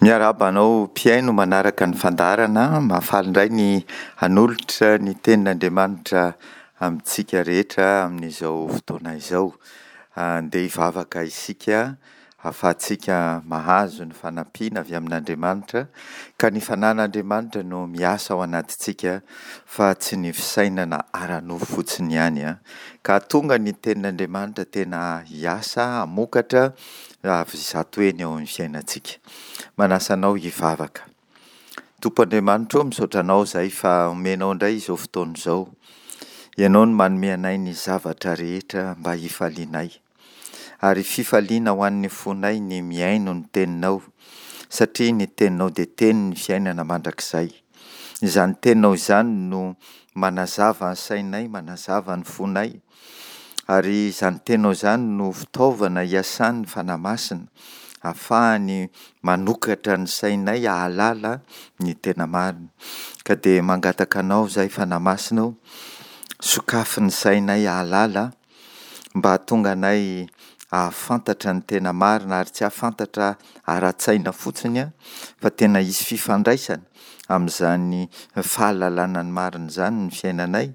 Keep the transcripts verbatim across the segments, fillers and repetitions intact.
Miarahaba anao mpihaino manaraka ny fandaharana. Mahafaly indray ny hanolotra ny tenin'Andriamanitra amintsika rehetra amin'izao fotoana izao. Andeha hivavaka isika ahafahantsika mahazo ny fanampiana avy amin'Andriamanitra, ka ny fanahin'Andriamanitra no miasa ao anatintsika fa tsy ny fisainana ara-nofo fotsiny ihany an. Ka hahatonga ny tenin'Andriamanitra tena hiasa, hamokatra avy zato heny eo amin'ny fiainantsika. Manasa anao hivavaka. Tompo Andriamanitra ô, misaotra anao izahay fa omenao indray izao fotoana izao. Ianao no manome anay ny zavatra rehetra mba hifalianay. Ary fifaliana ho an'ny fonay ny mihaino ny teninao, satria ny teninao dia tenin'ny fiainana mandrakizay. Izany teninao izany no manazava ny sainay, manazava ny fonay, ary izany teninao izany no fitaovana iasan'ny Fanahy Masina, ahafahany manokatra ny sainay hahalala ny tena marina. Ka dia mangataka anao izahay Fanahy Masina ô, sokafy ny sainay hahalala mba hahatonga anay hahafantatra ny tena marina ary tsy hahafantatra ara-tsaina fotsiny fa tena hisy fifandraisana amin'izany fahalalana ny marina izany ny fiainanay,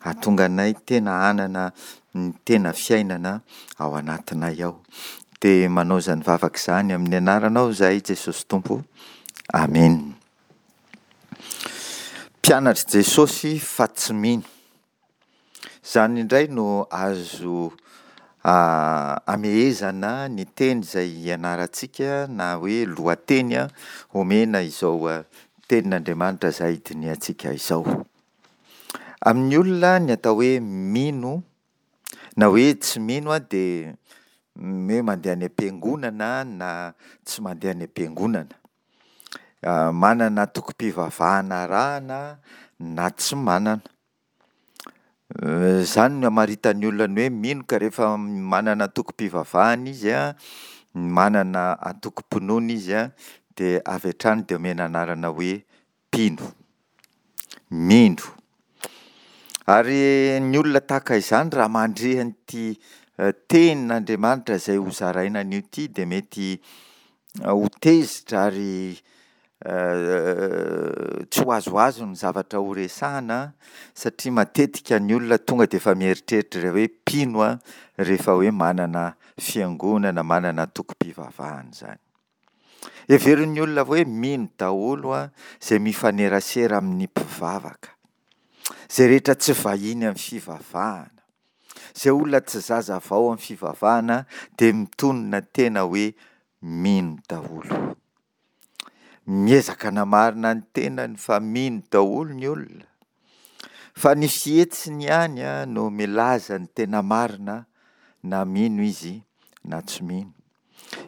hahatonga anay tena hanana ny tena fiainana ao anatinay ao. Dia manao izany vavaka izany amin'ny anaranao izahay Jesosy Tompo. Amena. Mpianatr'i Jesosy fa tsy mino. Izany indray no azo amehezana ny teny izay ianarantsika na hoe lohateny omena izao tenin'Andriamanitra izay dinihantsika izao. Amin'ny olona ny atao hoe mino na hoe tsy mino dia ny hoe mandeha any am-piangonana na tsy mandeha any am-piangonana. Manana antokom-pivavahana arahana na tsy manana. Izany no amaritan'ny olona ny hoe mino ka rehefa manana antokom-pivavahana izy an, manana antokom-pinoana izy an, dia avy hatrany dia omena anarana hoe mpino. Mino. Ary ny olona tahaka izany raha mandre an'ity tenin'Andriamanitra izay hozaraina anio ity dia mety ho tezitra ary tsy ho azoazony ny zavatra ho resahana satria matetika ny olona tonga dia efa mieritreritra hoe mpino rehefa hoe manana fiangonana, manana antokom-pivavahana izany. Heverin'ny olona hoe mino daholo izay mifanerasera amin'ny mpivavaka, izay rehetra tsy vahiny amin'ny fivavahana, izay olona tsy zazavao amin'ny fivavahana dia mitonona tena hoe mino daholo. Miezaka hanamarina ny tenany fa mino daholo ny olona, fa ny fihetsiny ihany no milaza ny tena marina na mino izy na tsy mino.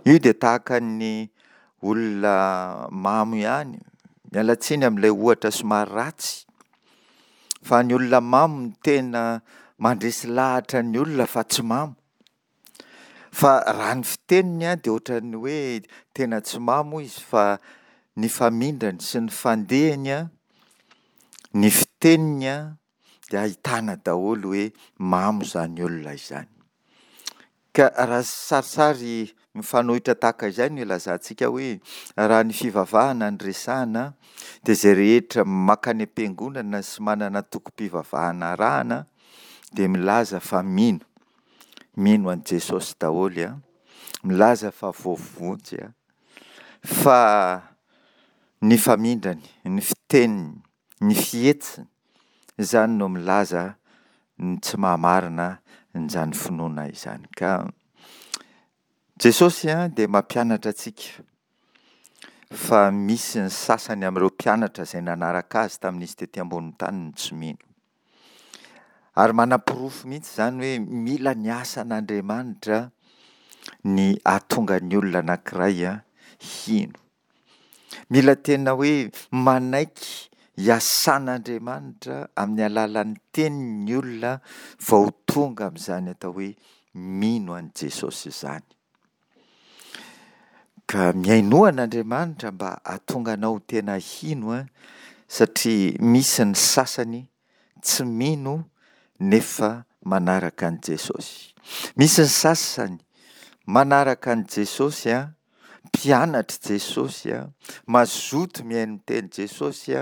Io dia tahaka ny olona mamo ihany, miala tsiny amin'ilay ohatra somary ratsy, fa ny olona mamo no tena mandresy lahatra ny olona fa tsy mamo. Fa raha ny fiteniny dia ohatran'ny hoe tena tsy mamo izy fa ny famindrany sy ny fandehany, ny fiteniny dia ahitana daholo hoe mamo izany olona izany. Ka raha sarisary mifanohitra tahaka izay no ilazantsika hoe raha ny fivavahana no resahana dia izay rehetra mankany am-piangonana sy manana antokom-pivavahana arahana dia milaza fa mino. Mino an'i Jesosy daholo an, milaza fa voavonjy an, fa ny famindrany, ny fiteniny, ny fihetsiny, izany no milaza ny tsy maha-marina an'izany finoana izany. Ka Jesosy dia mampianatra antsika fa misy ny sasany amin'ireo mpianatra izay nanaraka azy tamin'izy tety ambonin'ny tany no tsy mino. Ary manaporofo mihitsy izany hoe mila ny asan'Andriamanitra ny hahatonga ny olona anankiray hino. Mila tena hoe manaiky hiasan'Andriamanitra amin'ny alalan'ny teniny ny olona vao tonga amin'izany atao hoe mino an'i Jesosy izany. Ka mihainoa an'Andriamanitra mba hahatonga anao ho tena hino satria misy ny sasany tsy mino nefa manaraka an'i Jesosy. Misy ny sasany manaraka an'i Jesosy Mpianatr'i Jesosy, mazoto mihaino ny tenin'i Jesosy,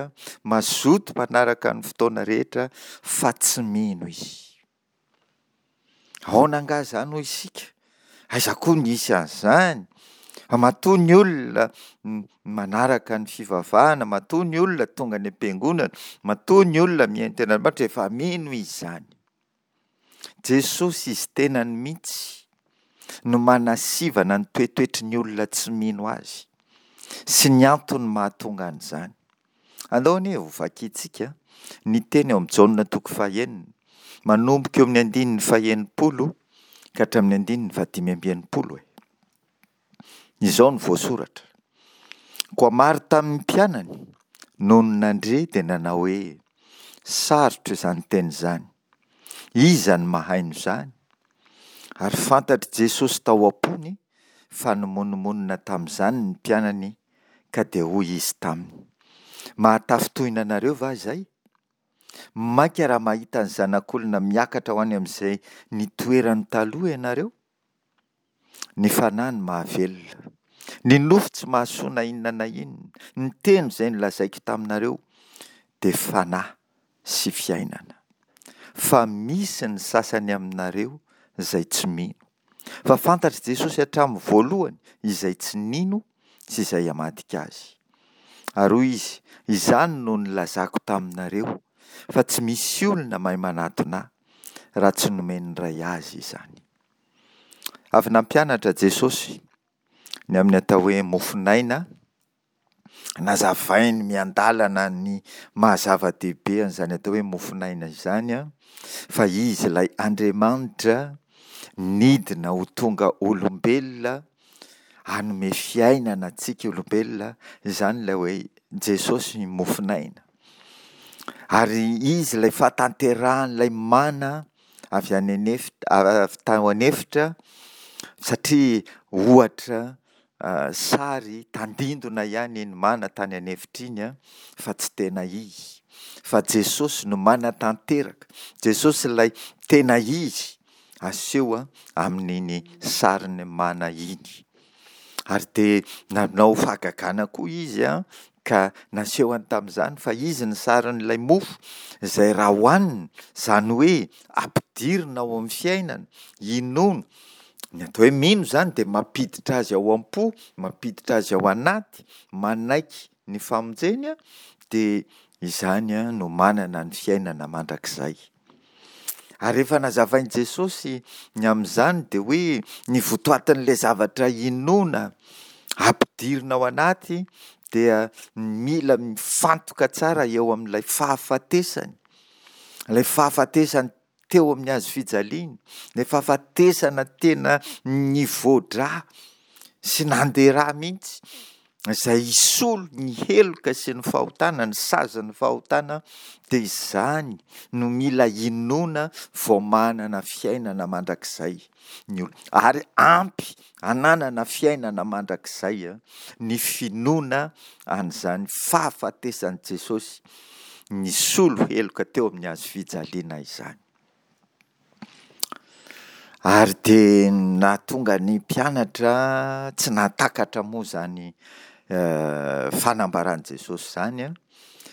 mazoto manaraka ny fotoana rehetra, fa tsy mino izy. Ahoana angaha izany hoy isika? Aiza koa nisy an'izany? Fa matoa ny olona manaraka ny fivavahana, matoa ny olona tonga any am-piangonana, matoa ny olona mihaino tenin'Andriamanitra, efa mino izy izany. Jesosy izy tenany mihitsy no manasivana ny toetoetry ny olona tsy mino azy sy ny antony mahatonga an'izany. Andao anie ho vakintsika ny teny ao amin'ny Jaona toko fahenina, manomboka eo amin'ny andininy fahenimpolo ka hatramin'ny andininy fahadimy amby enimpolo e. Izao no voasoratra: Koa maro tamin'ny mpianany nony nandre dia nanao hoe, Sarotra izany teny izany, iza no mahaino izany? Ary fantatr'i Jesosy tao am-pony fa nimonomonona tamin'izany ny mpianany, ka dia hoy izy taminy, Mahatafintohina anareo va izay? Mainka raha mahita ny Zanak'olona miakatra ho any amin'izay nitoerany taloha ianareo? Ny fanahy no mahavelona. Ny nofo tsy mahasoa na inona na inona. Ny teny izay nolazaiko taminareo dia fanahy sy fiainana. Fa misy ny sasany aminareo izay tsy mino. Fa fantatr'i Jesosy hatramin'ny voalohany izay tsy nino sy izay hamadika azy. Ary hoy izy, Izany no nilazako taminareo, fa tsy misy olona mahay manatona ahy, raha tsy nomen'ny Ray azy izany. Avy nampianatra Jesosy ny amin'ny atao hoe mofon'aina, nazavainy miandalana ny maha zava-dehibe an'izany atao hoe mofon'aina izany, fa Izy ilay Andriamanitra nidina ho tonga olombelona hanome fiainana antsika olombelona, izany ilay hoe Jesosy mofon'aina. Ary Izy ilay fahatanterahan'ilay mana avy any an'efitra, avy tao an'efitra, satria ohatra sary tandindona ihany iny mana tany an'efitra iny fa tsy tena izy. Fa Jesosy no manatanteraka, Jesosy ilay tena izy aseho amin'iny sarin'ny mana iny. Ary dia nanao fahagagana koa izy ka nasehony tamin'izany fa izy ny sarin'ilay mofo izay raha hohanina, izany hoe ampidirina ao amin'ny fiainana, inoana. Ny atao hoe mino izany dia mampiditra azy ao am-po, mampiditra azy ao anaty, manaiky ny famonjeny, dia izany no manana ny fiainana mandrakizay. Ary rehefa nazavain'i Jesosy ny amin'izany dia hoe ny votoatin'ilay zavatra inoana ampidirina ao anaty dia mila mifantoka tsara eo amin'ilay fahafatesany, ilay fahafatesany teo amin'ny hazo fijaliana, ilay fahafatesana tena nivoa-drà sy nandeha rà mihitsy, izay hisolo ny heloka sy ny fahotana, ny sazin'ny fahotana, dia izany no mila inoana vao manana fiainana mandrakizay ny olona. Ary ampy hananana fiainana mandrakizay ny finoana an'izany fahafatesan'i Jesosy nisolo heloka teo amin'ny hazo fijaliana izany. Ary dia nahatonga ny mpianatra tsy nahatakatra moa izany fanambaran'i Jesosy izany,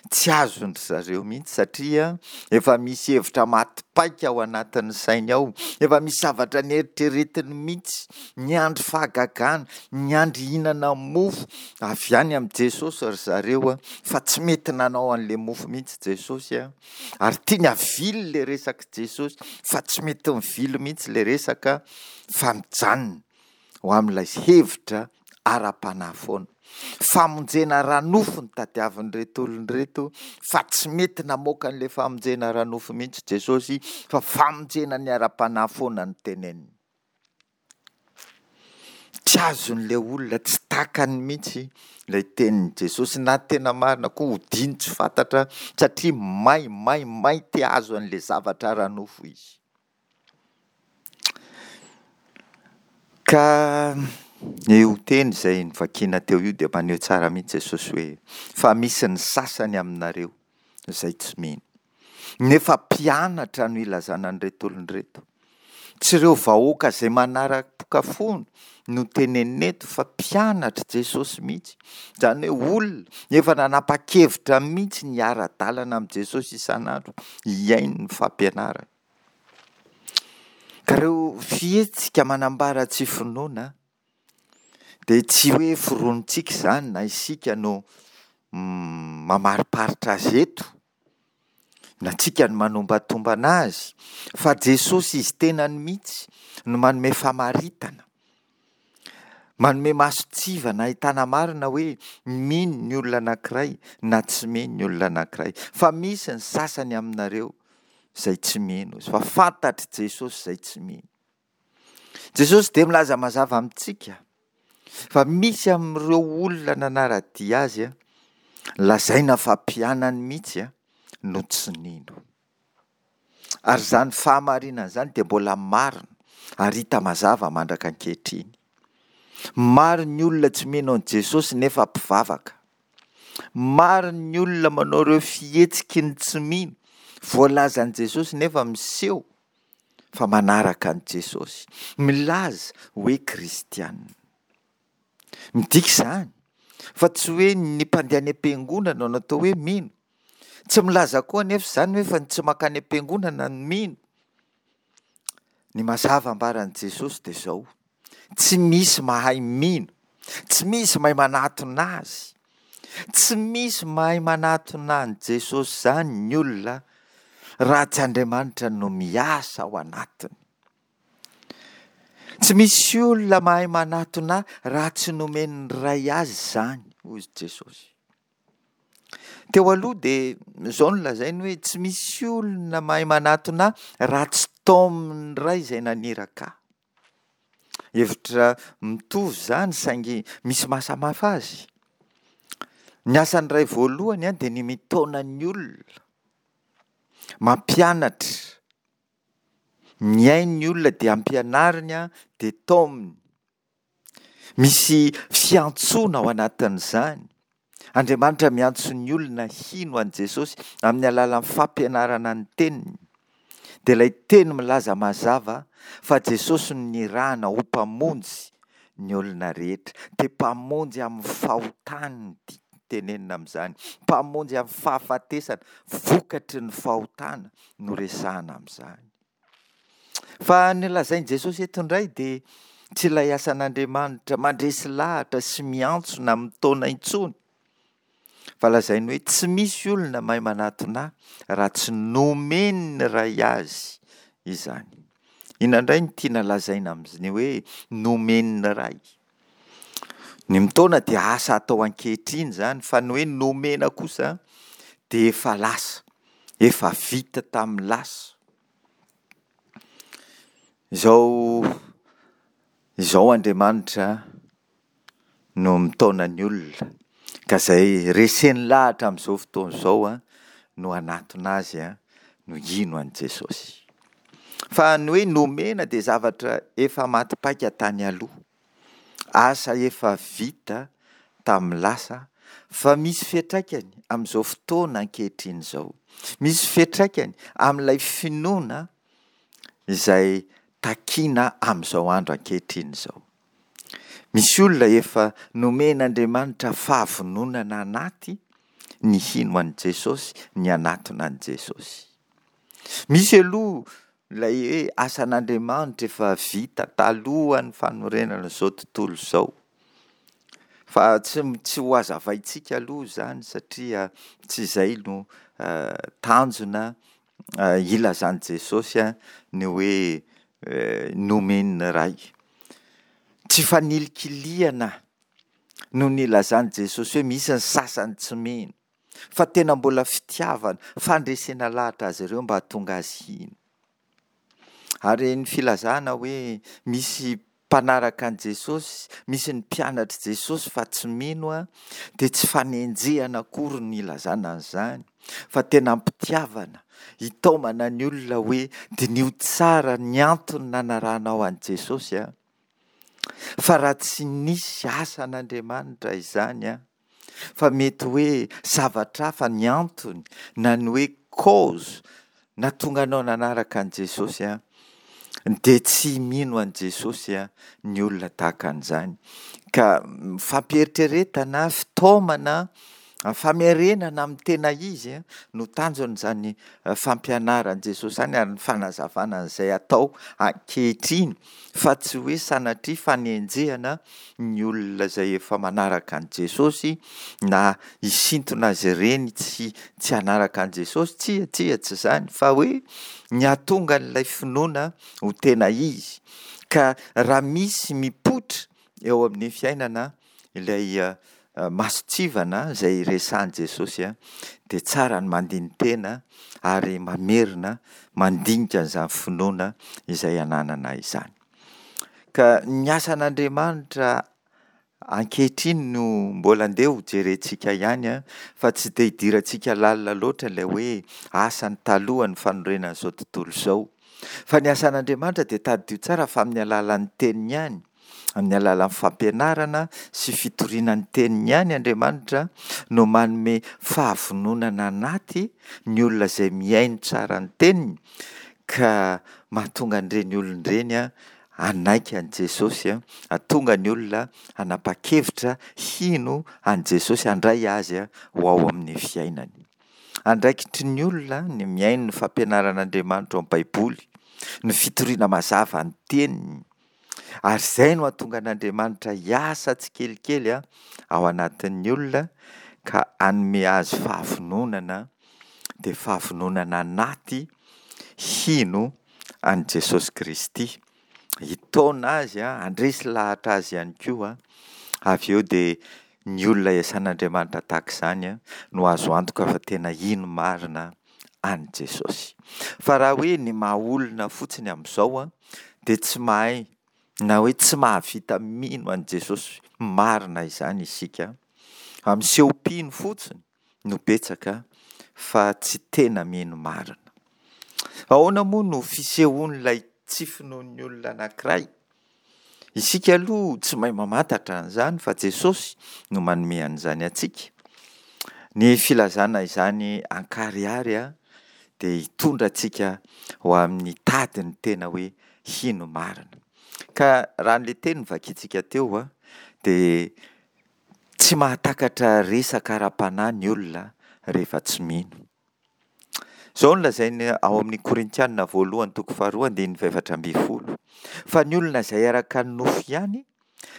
tsy azon-dry zareo mihitsy satria efa misy hevitra maty paika ao anatin'ny sainy ao, efa misy zavatra neritreretiny mihitsy, niandry fahagagana, niandry hihinana mofo avy any amin'i Jesosy ry zareo, fa tsy mety nanao an'ilay mofo mihitsy Jesosy. Ary tiany havily ilay resak'i Jesosy, fa tsy mety mivily mihitsy ilay resaka fa mijanona ho amin'ilay hevitra ara-panahy foana. Famonjena ara-nofo no tadiavin'ireto olona ireto, fa tsy mety namoaka an'ilay famonjena ara-nofo mihitsy Jesosy, fa famonjena ny ara-panahy foana no teneniny. Tsy azon'ilay olona, tsy takany mihitsy ilay tenin'i Jesosy, na tena marina koa odiany tsy fantatra satria may, may, may te hahazo an'ilay zavatra ara-nofo izy. Ka io teny izay novakiana teo io dia maneho tsara mihitsy Jesosy hoe fa misy ny sasany aminareo izay tsy mino. Nefa mpianatra no ilazana an'ireto olona ireto. Tsy ireo vahoaka izay manara-pokafona no tenenina eto fa mpianatr'i Jesosy mihitsy. Izany hoe olona efa nanapa-kevitra mihitsy ny hiara-dalana amin'i Jesosy isan'andro, hihaino ny fampianarany. Ka ireo fihetsika manambara tsy finoana dia tsy hoe foronintsika izany na isika no mamariparitra azy eto, na tsika no manombatombana azy, fa Jesosy izy tenany mihitsy no manome famaritana, manome mason-tsivana ahitana marina hoe mino ny olona anankiray na tsy mino ny olona anankiray. Fa misy ny sasany aminareo izay tsy mino, fa fantatr'i Jesosy izay tsy mino. Jesosy dia milaza mazava amintsika fa misy amin'ireo olona nanara-dia azy, lazaina fa mpianany mihitsy, no tsy nino. Ary izany fahamarinana izany dia mbola marina ary hita mazava mandraka ankehitriny. Maro ny olona tsy mino an'i Jesosy nefa mpivavaka. Maro ny olona manao ireo fihetsiky ny tsy mino voalazan'i Jesosy nefa miseho fa manaraka an'i Jesosy. Milaza hoe kristiana. Midika izany fa tsy hoe ny mpandeha any am-piangonana no atao hoe mino. Tsy milaza koa anefa izany hoe fa ny tsy mankany am-piangonana no mino. Ny mazava ambaran'i Jesosy dia izao, tsy misy mahay mino, tsy misy mahay manatona azy, tsy misy mahay manatona an'i Jesosy izany ny olona raha tsy Andriamanitra no miasa ao anatiny. Tsy misy olona mahay manatona raha tsy nomen'ny Ray azy izany, hoy Jesosy. Teo aloha dia izao no lazainy hoe tsy misy olona mahay manatona raha tsy taomin'ny Ray izay naniraka ahy. Hevitra mitovy izany saingy misy mahasamihafa azy. Ny asan'ny Ray voalohany dia ny mitaona ny olona, mampianatra, mihaino ny olona dia ampianariny dia taominy. Misy fiantsoana ao anatin'izany. Andriamanitra miantso ny olona hino an'i Jesosy amin'ny alalan'ny fampianarana ny teniny. Dia ilay teny milaza mazava fa Jesosy no nirahana ho mpamonjy ny olona rehetra. Dia mpamonjy amin'ny fahotany no tenenina amin'izany. Mpamonjy amin'ny fahafatesana vokatry ny fahotana no resahana amin'izany. Fa ny lazain'i Jesosy eto indray dia tsy ilay asan'Andriamanitra mandresy lahatra sy miantso na mitaona intsony, fa lazainy hoe tsy misy olona mahay manatona ahy raha tsy nomen'ny Ray azy izany. Inona indray no tiana lazaina amin'ny hoe nomen'ny Ray? Ny mitaona dia asa atao ankehitriny izany, fa ny hoe nomena kosa dia efa lasa, efa vita tamin'ny lasa. Izao, izao Andriamanitra no mitaona ny olona, ka izay reseny lahatra amin'izao fotoana izao no hanatona azy, no hino an'i Jesosy. Fa ny hoe nomena dia zavatra efa maty paika tany aloha, asa efa vita tamin'ny lasa, fa misy fiantraikany amin'izao fotoana ankehitriny izao. Misy fiantraikany amin'ilay finoana izay takiana amin'izao andro ankehitriny izao. Misy olona efa nomen'Andriamanitra fahavononana anaty ny hino an'i Jesosy, ny hanatona an'i Jesosy. Misy aloha ilay hoe asan'Andriamanitra efa vita talohan'ny fanorenana izao tontolo izao. Fa tsy, tsy ho hazavaintsika aloha izany satria tsy izay no tanjona ilazan'i Jesosy ny hoe nomen'ny Ray. Tsy fanilikilihana no nilazan'i Jesosy hoe misy ny sasany tsy mino, fa tena mbola fitiavana, fandresena lahatra azy ireo mba hahatonga azy hino. Ary ny filazana hoe misy mpanaraka an'i Jesosy, misy ny mpianatr'i Jesosy fa tsy mino, dia tsy fanenjehana akory no ilazana an'izany, fa tena am-pitiavana, hitaomana ny olona hoe diniho tsara ny antony nanarahanao an'i Jesosy, fa raha tsy nisy asan'Andriamanitra izany, fa mety hoe zavatra hafa ny antony na ny hoe cause nahatonga anao nanaraka an'i Jesosy, Dia tsy mino an'i Jesosy ny olona tahaka an'izany. Ka fampieritreretana, fitaomana, famerenana amin'ny tena izy no tanjon'izany fampianaran'i Jesosy izany ary ny fanazavana an'izay atao ankehitriny fa tsy hoe sanatria fanenjehana ny olona izay efa manaraka an'i Jesosy na hisintona azy ireny tsy tsy hanaraka an'i Jesosy. Tsia, tsia, tsy izany fa hoe ny hahatonga an'ilay finoana ho tena izy. Ka raha misy mipoitra eo amin'ny fiainana ilay mason-tsivana izay resahin'i Jesosy dia tsara ny mandini-tena ary mamerina mandinika an'izany finoana izay ananana izany. Ka ny asan'Andriamanitra ankehitriny no mbola andeha ho jerentsika ihany fa tsy dia hidirantsika lalina loatra ilay hoe asany talohan'ny fanorenan'izao tontolo izao. Fa ny asan'Andriamanitra dia tadidio tsara fa amin'ny alalan'ny teniny ihany, amin'ny alalan'ny fampianarana sy fitoriana ny teniny ihany Andriamanitra no manome fahavononana anaty ny olona izay mihaino tsara ny teniny ka mahatonga an'ireny olona ireny hanaiky an'i Jesosy, hahatonga ny olona hanapa-kevitra hino an'i Jesosy, handray azy ho ao amin'ny fiainany. Andraikitry ny olona ny mihaino ny fampianaran'Andriamanitra ao amin'ny Baiboly, ny fitoriana mazava ny teniny, ary izay no hahatonga an'Andriamanitra hiasa tsikelikely ao anatin'ny olona ka hanome azy fahavononana, dia fahavononana anaty hino an'i Jesosy Kristy. Hitaona azy, handresy lahatra azy ihany koa. Avy eo dia ny olona iasan'Andriamanitra tahaka izany no azo antoka fa tena hino marina an'i Jesosy. Fa raha hoe ny maha olona fotsiny amin'izao dia tsy mahay na hoe tsy mahavita mino an'i Jesosy marina izany isika. Fa miseho mpino fotsiny no betsaka fa tsy tena mino marina. Ahoana moa no fisehoan'ilay tsy finoan'ny olona anankiray? Isika aloha tsy mahay mamantatra an'izany fa Jesosy no manome an'izany antsika. Ny filazana izany ankarihary dia hitondra antsika ho amin'ny tady ny tena hoe hino marina. Ka raha an'ilay teny novakintsika teo dia tsy mahatakatra resaka ara-panahy ny olona rehefa tsy mino. Izao no lazainy ao amin'ny Korintiana voalohany toko faharoa andininy fahefatra ambin'ny folo. Fa ny olona izay araka ny nofo ihany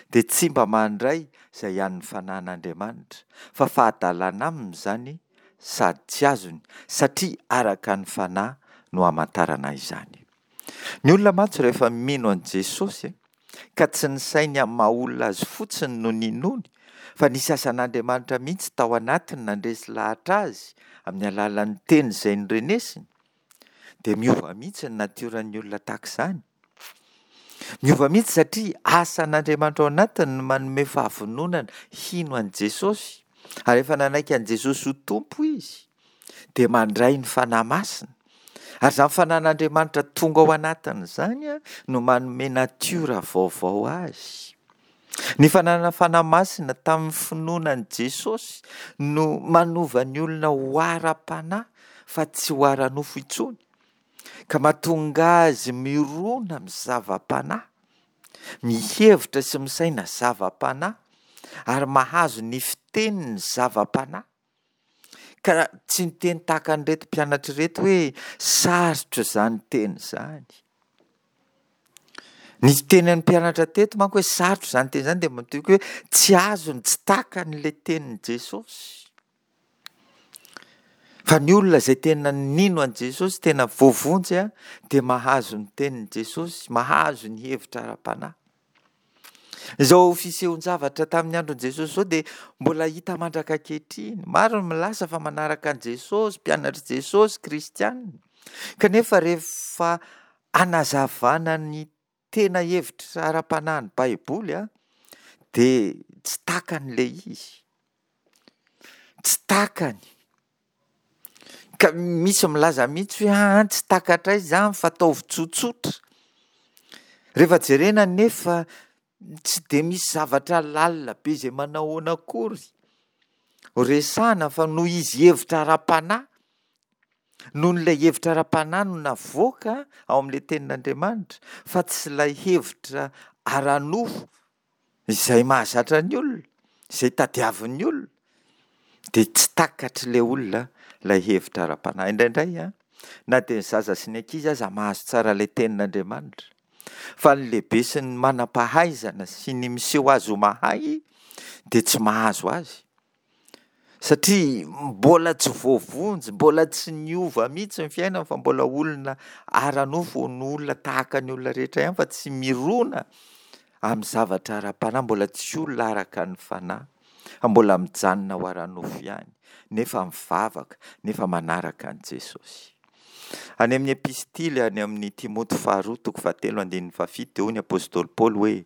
dia tsy mba mandray izay an'ny fanahin'Andriamanitra, fa fahadalana aminy izany sady tsy azony, satria araka ny fanahy no hamantarana izany. Ny olona mantsy rehefa mino an'i Jesosy ka tsy ny sainy amin'ny maha olona azy fotsiny no ninoany, fa nisy asan'Andriamanitra mihitsy tao anatiny nandresy lahatra azy amin'ny alalan'ny teny izay norenesiny, dia miova mihitsy ny natioran'ny olona tahaka izany. Miova mihitsy satria asan'Andriamanitra ao anatiny no manome fahavononana hino an'i Jesosy. Ary rehefa nanaiky an'i Jesosy ho Tompo izy, dia mandray ny Fanahy Masina. Ary izany Fanahin'Andriamanitra tonga ao anatiny izany no manome natiora vaovao azy. Ny fananana Fanahy Masina tamin'ny finoana an'i Jesosy no manova ny olona ho ara-panahy fa tsy ho ara-nofo intsony, ka mahatonga azy mirona amin'ny zava-panahy, mihevitra sy misaina zava-panahy, ary mahazo ny fiteniny zava-panahy. Ka tsy niteny tahaka an'ireto mpianatra ireto hoe sarotra izany teny izany. Ny tenin'ny mpianatra teto manko hoe sarotra izany teny izany dia midika hoe tsy azony, tsy takany ilay tenin'i Jesosy. Fa ny olona izay tena nino an'i Jesosy, tena voavonjy dia mahazo ny tenin'i Jesosy, mahazo ny hevitra ara-panahy. Izao fisehon-javatra tamin'ny andron'i Jesosy izao dia mbola hita mandraka ankehitriny. Maro ny milaza fa manaraka an'i Jesosy, mpianatr'i Jesosy, kristianina. Kanefa rehefa hanazavana ny tena hevitra ara-panahin'ny Baiboly dia tsy takany ilay izy. Tsy takany. Ka misy milaza mihitsy hoe aa tsy takatray izany fa ataovy tsotsotra. Rehefa jerena nefa tsy dia misy zavatra lalina be izay manao ahoana akory ho resahana fa noho izy hevitra ara-panahy Noho ilay hevitra ara-panahy no navoaka ao amin'ilay tenin'Andriamanitra fa tsy ilay hevitra ara-nofo izay mahazatra ny olona, izay tadiavin'ny olona, dia tsy takatr'ilay olona ilay hevitra ara-panahy. Indraindray an, na dia ny zaza sy ny ankizy aza mahazo tsara ilay tenin'Andriamanitra, fa ny lehibe sy ny manam-pahaizana sy ny miseho azy ho mahay dia tsy mahazo azy. Satria mbola tsy voavonjy, mbola tsy niova mihitsy ny fiainany fa mbola olona ara-nofo, no olona tahaka ny olona rehetra ihany fa tsy mirona amin'ny zavatra ara-panahy, mbola tsy olona araka ny fanahy, fa mbola mijanona ho ara-nofo ihany, nefa mivavaka, nefa manaraka an'i Jesosy. Any amin'ny epistily any amin'ny Timoty faharoa toko fahatelo andininy fahafito dia hoy ny apostoly Paoly hoe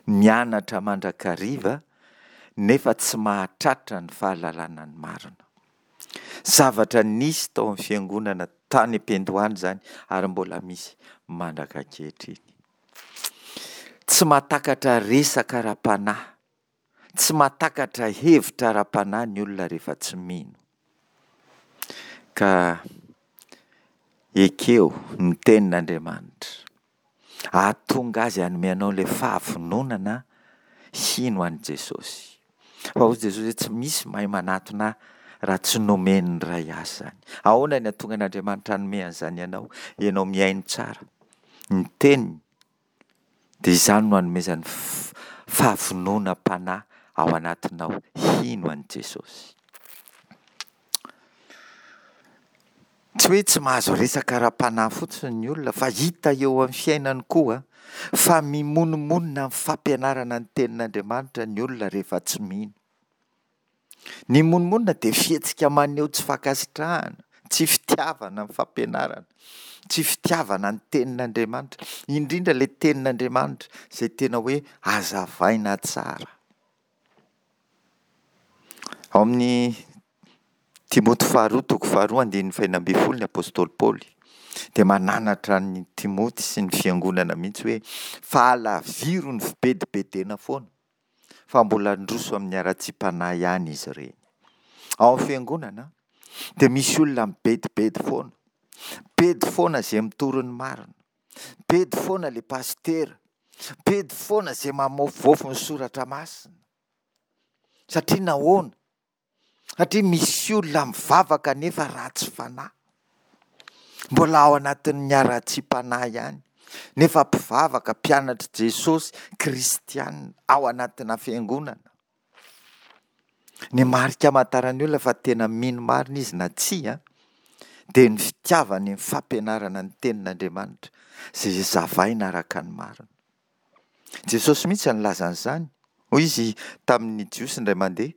mianatra mandrakariva nefa tsy mahatratra ny fahalalana ny marina. Zavatra nisy tao amin'ny fiangonana tany am-piandohana izany ary mbola misy mandraka ankehitriny. Tsy mahatakatra resaka ara-panahy, tsy mahatakatra hevitra ara-panahy ny olona rehefa tsy mino. Ka ekeo ny tenin'Andriamanitra. Hahatonga azy hanome anao ilay fahavononana hino an'i Jesosy. Fa hoy Jesosy hoe tsy misy mahay manatona ahy raha tsy nomen'ny Ray ahy izany. Ahoana ny hahatonga an'Andriamanitra hanome an'izany anao? Ianao mihaino tsara ny teniny dia izany no hanomezany fahavononam-panahy ao anatinao hino an'i Jesosy. Tsy hoe tsy mahazo resaka ara-panahy fotsiny ny olona fa hita eo amin'ny fiainany koa fa mimonomonona amin'ny fampianarana ny tenin'Andriamanitra ny olona rehefa tsy mino. Ny monomonona dia fihetsika maneho tsy fankasitrahana, tsy fitiavana ny fampianarana, tsy fitiavana ny tenin'Andriamanitra, indrindra ilay tenin'Andriamanitra izay tena hoe hazavaina tsara. Ao amin'ny Timoty faharoa toko faharoa andininy fahenina ambin'ny folo ny apostoly Paoly dia mananatra an'i Timoty sy ny fiangonana mihitsy hoe fa alaviro ny fibedibedena foana fa mbola handroso amin'ny haratsiam-panahy ihany izy ireny. Ao amin'ny fiangonana dia misy olona mibedibedy foana, bedy foana izay mitory ny marina, bedy foana ilay pasitera, bedy foana izay mamovoafo ny soratra masina. Satria nahoana? Satria misy olona mivavaka nefa ratsy fanahy. Mbola ao anatin'ny haratsiam-panahy ihany. Nefa mpivavaka, mpianatr'i Jesosy, kristiana, ao anatina fiangonana. Ny marika amantaran'ny olona fa tena mino marina izy na tsia dia ny fitiavany ny fampianarana ny tenin'Andriamanitra izay zavaina araka ny marina. Jesosy mihitsy no nilaza an'izany. Hoy izy tamin'ny Jiosy indray mandeha,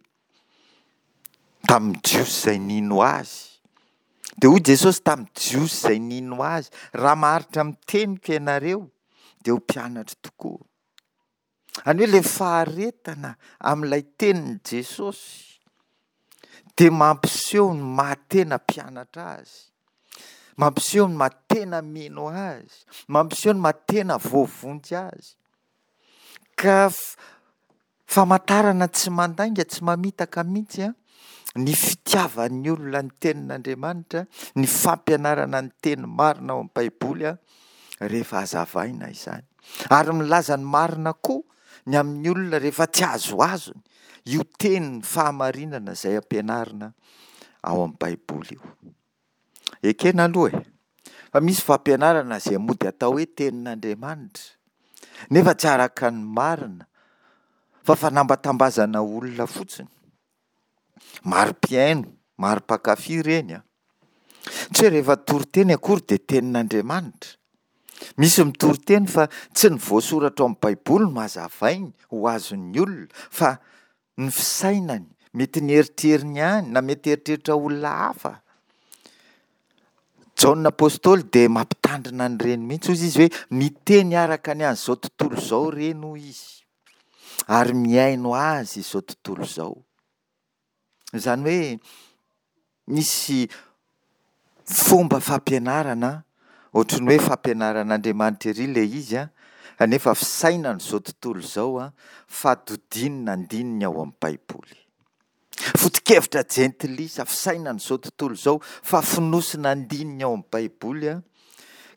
tamin'ny Jiosy izay nino azy. Dia hoy Jesosy tamin'ny Jiosy izay nino azy, raha maharitra amin'ny teniko ianareo, dia ho mpianatro tokoa. Any hoe ilay faharetana amin'ilay tenin'i Jesosy dia mampiseho ny maha tena mpianatra azy, mampiseho ny maha tena mino azy, mampiseho ny maha tena voavonjy azy. Ka famantarana tsy mandainga, tsy mamitaka mihitsy an, ny fitiavan'ny olona ny tenin'Andriamanitra, ny fampianarana ny teny marina ao amin'ny Baiboly an, rehefa hazavaina izany. Ary milaza ny marina koa ny amin'ny olona rehefa tsy azoazony io tenin'ny fahamarinana izay ampianarina ao amin'ny Baiboly io. Ekena aloha e, fa misy fampianarana izay mody atao hoe tenin'Andriamanitra, nefa tsy araka ny marina, fa fanambatambazana olona fotsiny. Maro mpihaino, maro mpankafy ireny an. Tsy hoe rehefa toriteny akory dia tenin'Andriamanitra. Misy mitory teny fa tsy ny voasoratra ao amin'ny Baiboly no hazavainy ho azon'ny olona fa ny fisainany, mety ny eritreriny ihany na mety eritreritra olona hafa. Jaona apostoly dia mampitandrina an'ireny mihitsy, hoy izy hoe miteny araka ny an'izao tontolo izao ireny hoy izy ary mihaino azy izao tontolo izao. Izany hoe misy fomba fampianarana ohatry ny hoe fampianaran'Andriamanitra ery ilay izy an, kanefa fisainan'izao tontolo izao an, fa dodinina andininy ao amin'ny Baiboly. Foto-kevitra jentilisa, fisainan'izao tontolo izao, fa fonosina andininy ao amin'ny Baiboly an,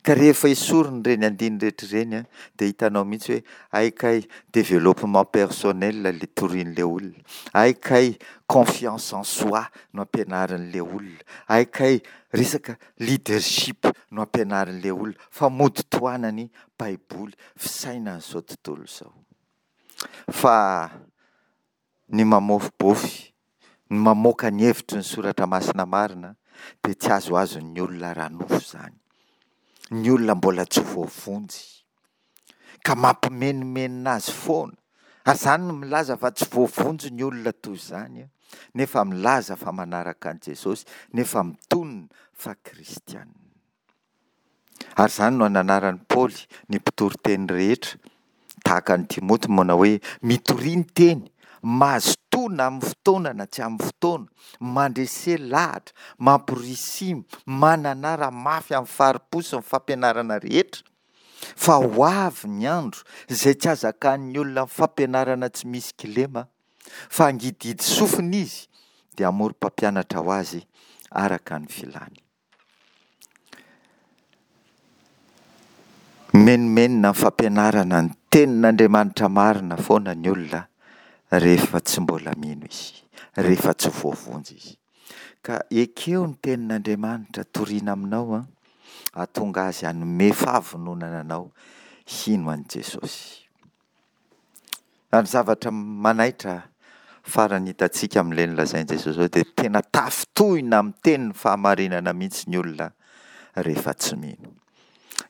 ka rehefa esorina ireny andininy rehetra ireny an, dia hitanao mihitsy hoe hay kay développement personnel ilay torian'ilay olona, hay kay confiance en soi no ampianarin'ilay olona, hay kay resaka leadership no ampianarin'ilay olona, fa mody tohanany Baiboly, fisainan'izao tontolo izao. Fa ny mamofobofy, ny mamoaka ny hevitry ny soratra masina marina dia tsy azoazon'ny olona ara-nofo izany. Ny olona mbola tsy voavonjy, ka mampimenomenona azy foana. Ary izany no milaza fa tsy voavonjy ny olona toy izany, nefa milaza fa manaraka an'i Jesosy, nefa mitonona fa kristiana. Ary izany no ananaran'i Paoly ny mpitoriteny rehetra, tahaka an'i Timoty manao hoe mitoria ny teny, mazotoa na amin'ny fotoana na tsy amin'ny fotoana, mandrese lahatra, mamporisia, mananara mafy amin'ny fari-po sy ny fampianarana rehetra, fa ho avy ny andro izay tsy hazakan'ny olona amin'ny fampianarana tsy misy kilema, fa hangidihidy sofina izy dia hamory mpampianatra ho azy araka ny filany. Mimenomenona amin'ny fampianarana ny tenin'Andriamanitra marina foana ny olona rehefa tsy mbola mino izy, rehefa tsy voavonjy izy. Ka ekeo ny tenin'Andriamanitra torina aminao an, hahatonga azy hanome fahavononana anao hino an'i Jesosy. Ary ny zavatra manaitra farany hitantsika amin'ilay nolazain'i Jesosy izao dia tena tafintohina amin'ny tenin'ny fahamarinana mihitsy ny olona rehefa tsy mino.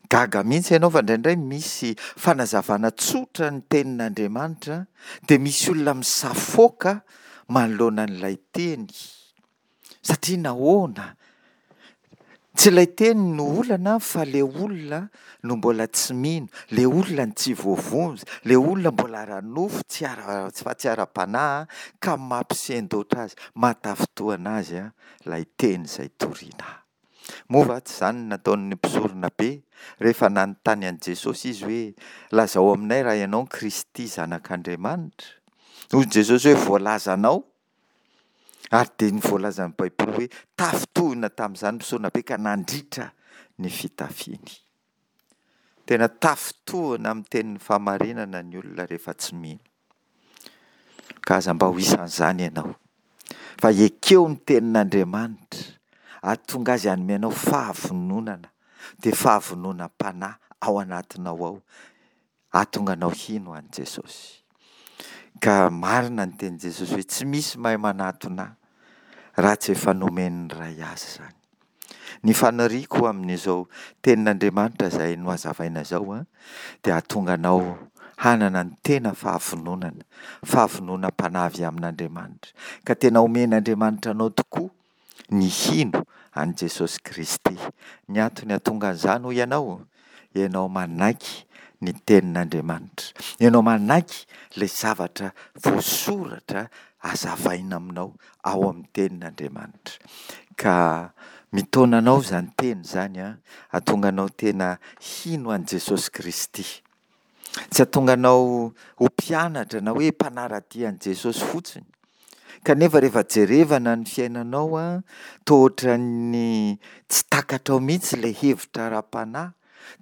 Gaga mihitsy ianao fa indraindray misy fanazavana tsotra ny tenin'Andriamanitra dia misy olona misafoaka manoloana an'ilay teny. Satria nahoana? Tsy ilay teny no olana fa ilay olona no mbola tsy mino, ilay olona no tsy voavonjy, ilay olona mbola ara-nofo tsy ara, fa tsy ara-panahy ka mampisendoatra azy, mahatafintohina azy ilay teny izay toriana. Moa va tsy izany no nataon'ny mpisorona be rehefa nanontany an'i Jesosy izy hoe, lazao aminay raha ianao ny Kristy Zanak'Andriamanitra? Hoy Jesosy hoe, voalazanao. Ary dia ny voalazan'ny Baiboly hoe tafintohina tamin'izany mpisorona be ka nandritra ny fitafiany. Tena tafintohina amin'ny tenin'ny fahamarinana ny olona rehefa tsy mino. Ka aza mba ho isan'izany ianao. Fa ekeo ny tenin'Andriamanitra, ahatonga azy hanome anao fahavononana, dia fahavononam-panahy ao anatinao ao. Hahatonga anao hino an'i Jesosy. Ka marina ny tenin'i Jesosy hoe tsy misy mahay manatona ahy raha tsy efa nomen'ny Ray azy izany. Ny faniriako amin'izao tenin'Andriamanitra izay nohazavaina izao dia hahatonga anao hanana ny tena fahavononana, fahavononam-panahy avy amin'Andriamanitra. Ka tena omen'Andriamanitra anao tokoa ny hino an'i Jesosy Kristy. Ny antony hahatonga an'izany hoy ianao? Ianao manaiky ny tenin'Andriamanitra. Ianao manaiky ilay zavatra voasoratra hazavaina aminao ao amin'ny tenin'Andriamanitra. Ka mitaona anao izany teny izany an, hahatonga anao tena hino an'i Jesosy Kristy. Tsy hahatonga anao ho mpianatra na hoe mpanara-dia an'i Jesosy fotsiny. Kanefa rehefa jerevana ny fiainanao an, toa ohatran'ny tsy takatrao mihitsy ilay hevitra ara-panahy,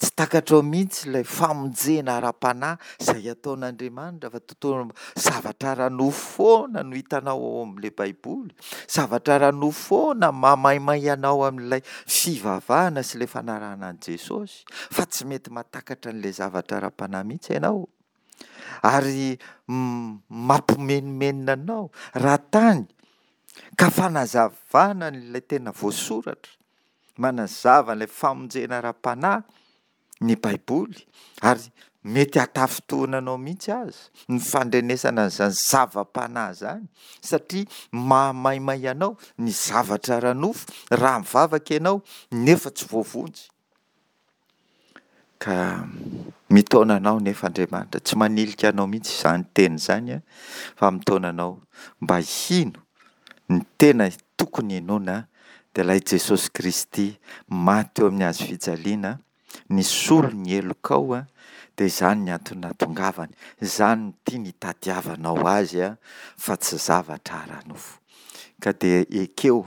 tsy takatrao mihitsy ilay famonjena ara-panahy izay ataon'Andriamanitra fa toa zavatra ara-nofo foana no hitanao ao amin'ilay Baiboly, zavatra ara-nofo foana mahamaimay anao amin'ilay fivavahana sy ilay fanarahana an'i Jesosy, fa tsy mety mahatakatra an'ilay zavatra ara-panahy mihitsy ianao. Ary mampimenomenona anao raha tany ka fanazavana ilay tena voasoratra, manazava ilay famonjena ara-panahy ny Baiboly ary mety hahatafintohina anao mihitsy aza ny fandrenesana an'izany zava-panahy izany satria mahamaimay anao ny zavatra ara-nofo raha mivavaka ianao nefa tsy voavonjy. Ka mitaona anao nefa Andriamanitra, tsy manilika anao mihitsy izany teny izany fa mitaona anao mba hino ny tena tokony hinoana dia ilay Jesosy Kristy maty teo amin'ny hazo fijaliana, nisolo ny helokao dia izany ny antony nahatongavany, izany no tiany hitadiavanao azy fa tsy zavatra ara-nofo. Ka dia ekeo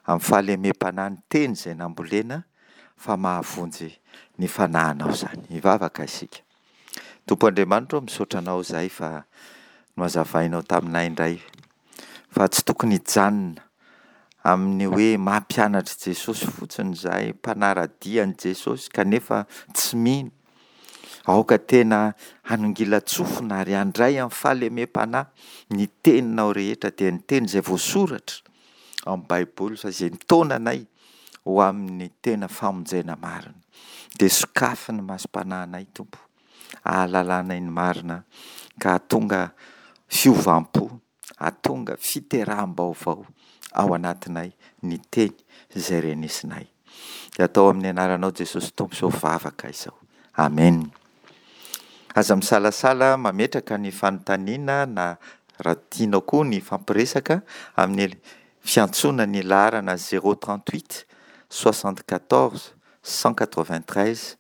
amin'ny fahalemem-panahy ny teny izay nambolena fa mahavonjy ny fanahinao izany. Hivavaka isika. Tompo Andriamanitra ô, misaotra Anao izahay fa nohazavainao taminay indray fa tsy tokony hijanona amin'ny hoe maha mpianatr'i Jesosy fotsiny izahay, mpanara-dia an'i Jesosy kanefa tsy mino. Aoka tena hanongilan-tsofina ary handray amin'ny fahalemem-panahy ny teninao rehetra, dia ny teny izay voasoratra ao amin'ny Baiboly fa izay mitaona anay ho amin'ny tena famonjena marina. Dia sokafy ny masom-panahinay Tompo, ahalalanay ny marina ka hahatonga fiovam-po, hahatonga fiteraham-baovao ao anatinay ny teny izay renesinay. Dia atao amin'ny anaranao Jesosy Tompo izao vavaka izao. Amen. Aza misalasala mametraka ny fanontaniana na raha tianao koa ny hifampiresaka amin'ny fiantsoana ny laharana zéro trente huit soixante quatorze cent quatre vingt treize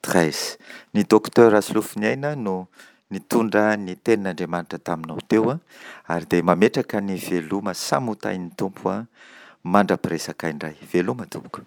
treize. Ny Docteur Rasolofoniaina no nitondra ny tenin'Andriamanitra taminao teo ary dia mametraka ny veloma samy ho tahin'ny Tompo mandra-piresaka indray. Veloma tompoko.